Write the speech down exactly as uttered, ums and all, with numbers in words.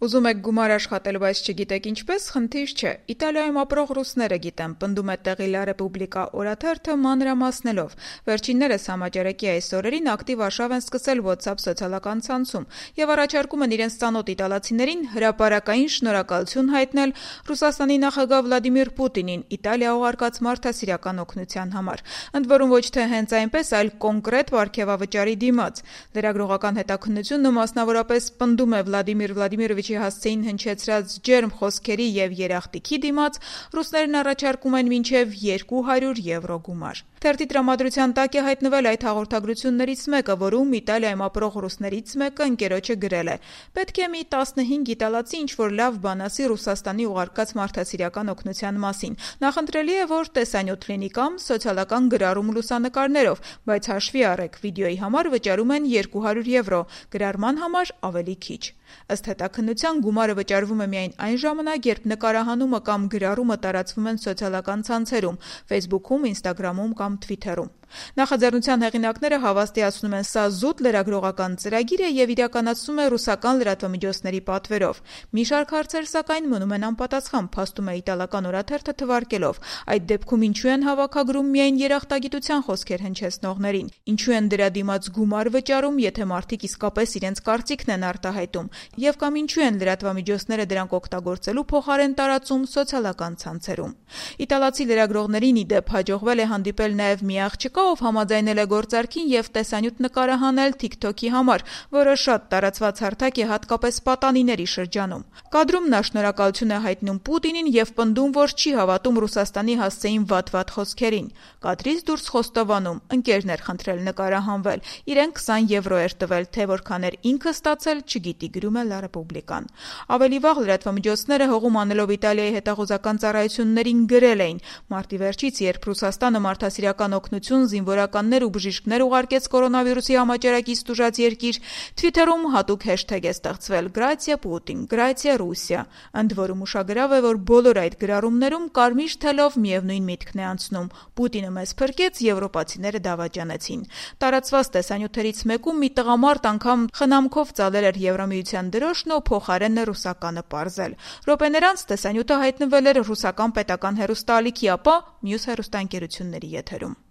Ուզում եք գումար աշխատել, բայց չգիտեք ինչպես, խնդիր չէ։ Իտալիայում ապրող ռուսները գիտեն, պնդում է տեղի Լա Ռեպուբլիկա օրաթերթը մանրամասնելով։ Վերջիններս համաճարակի այս օրերին ակտիվ արշավ են սկսել WhatsApp սոցիալական ցանցում եւ առաջարկում են իրենց ծանոթ իտալացիներին հրապարակային շնորհակալություն հայտնել Ռուսաստանի նախագահ Վլադիմիր Պուտինին Իտալիա ուղարկած մարդասիրական օգնության համար։ Ընդ որում ոչ թե հենց այնպես, այլ կոնկրետ պարգևավճարի դիմաց։ Լրագրողական հետաքննությունը մասնավորապես պնդում է Վլադիմիր Վլադիմիրովիչի հասցեին հնչեցրած ջերմ խոսքերի եւ երախտիկի դիմաց, ռուսներն առաջարկում են մինչեւ երկու հարյուր եվրո գումար։ Թերթի տրամադրության տակ է հայտնվել այդ հաղորդագրություններից մեկը, որում Իտալիայում ապրող ռուսներից մեկը ընկերոջը գրել է. «Պետք է մի տասնհինգ իտալացի ինչ-որ լավ բան ասի Ռուսաստանի ուղարկած մարդասիրական օգնության մասին։ Նախընտրելի է, որ տեսանյութ լինի կամ սոցիալական գրառում լուսանկարներով, բայց հաշվի առեք, վիդեոյի համար վճարում են երկու հարյուր եվրո, գրառման համար ավելի քիչ»։ Ըստ հետաքննության գումարը վճարվում է միայն այն ժամանակ, երբ նկարահանումը կամ գրառումը տարածվում են սոցիալական ցանցերում՝ Facebook-ում, Instagram-ում կամ Twitter-ում։ Նախաձեռնության հեղինակները հավաստիացնում են, սա զուտ լրագրողական ծրագիր է եւ իրականացվում է ռուսական լրատվամիջոցների պատվերով։ Մի շարք հարցեր սակայն մնում են անպատասխան, փաստում է իտալական օրաթերթը թվարկելով։ Այդ դեպքում ինչու են հավաքագրում միայն երախտագիտության խոսքեր հնչեցնողներին։ Ինչու են դրա դիմաց գումար վճարում, եթե մարդիկ իսկապես իրենց կարծիքն են արտահայտում, եւ կամ ինչու են լրատվամիջոցները դրանք օգտագործելու փոխարեն տարածում սոցիալական ցանցերում։ Իտալացի լրագրողներին ի դեպ հաջողվել է հանդիպել նաեւ մի աղջկա, ով համաձայնել է գործարքին եւ տեսանյութ նկարահանել TikTok-ի համար, որը շատ տարածված հարթակ է հատկապես պատանիների շրջանում։ Կադրում նա շնորհակալություն է հայտնում Պուտինին եւ պնդում, որ չի հավատում Ռուսաստանի հասցեին վատ-վատ խոսքերին։ Կադրից դուրս խոստովանում, ընկերն էր խնդրել նկարահանվել, իրեն քսան եվրո էր տվել, թե որքան էր ինքը ստացել, չգիտի, գրում է Լա Ռեպուբլիկան։ Ավելի վաղ լրատվամիջոցները հողում անելով Իտալիայի հետախուզական ծառայություններին գրել էին. «Մարտի վերջից, երբ Ռուսաստանը մարդասիրական օգնություն, զինվորականներ ու բժիշկներ ուղարկեց կորոնավիրուսի համաճարակից տուժած երկիր, Twitter-ում հատուկ հեշթեգ է ստեղծվել՝ Գրացիա Պուտին, Գրացիա Ռուսիա։ Ընդ որում ուշագրավ է, որ բոլոր այդ գրառումներում կարմիր թելով միևնույն միտքն է անցնում՝ Պուտինը մեզ փրկեց, եվրոպացիները դավաճանեցին»։ Տարածված տեսանյութերից մեկում մի տղամարդ անգամ խնամքով ծալել էր Եվրամիության դրոշն ու փոխարենը ռուսականը պարզել։ Րոպեներ անց տեսանյութը հայտնվել էր ռուսական պետական հեռուստաալիքի, ապա մյուս հեռուստաընկերությունների եթերում։